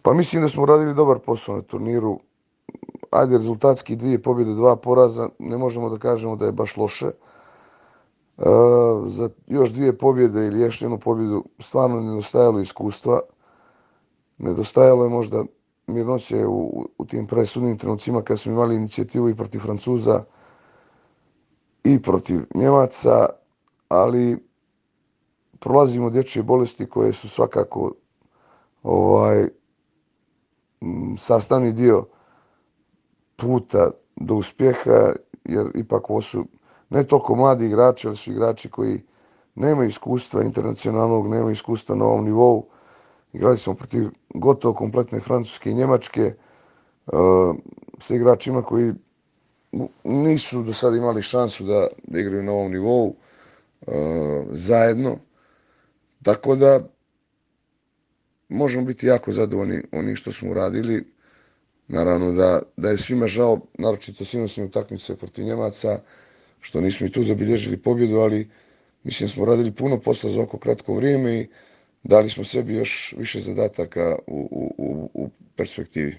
Pa mislim da smo radili dobar posao na turniru. Ajde, rezultatski 2 pobjede, 2 poraza, ne možemo da kažemo da je baš loše. Za još 2 pobjede ili još jednu pobjedu stvarno nedostajalo iskustva. Nedostajalo je možda mirnoće u tim presudnim trenucima kad smo imali inicijativu i protiv Francuza i protiv Njemaca, ali prolazimo dječje bolesti koje su svakako sastavni dio puta do uspjeha, jer ipak ovo su ne toliko mladi igrači, ali su igrači koji nemaju iskustva internacionalnog, nemaju iskustva na ovom nivou. Igrali smo protiv gotovo kompletne Francuske i Njemačke sa igračima koji nisu do sada imali šansu da igraju na ovom nivou zajedno. Tako da možemo biti jako zadovoljni onim što smo uradili. Naravno da je svima žao, naročito sinoćne utakmice protiv Njemaca, što nismo i tu zabilježili pobjedu, ali mislim da smo radili puno posla za oko kratko vrijeme i dali smo sebi još više zadataka u perspektivi.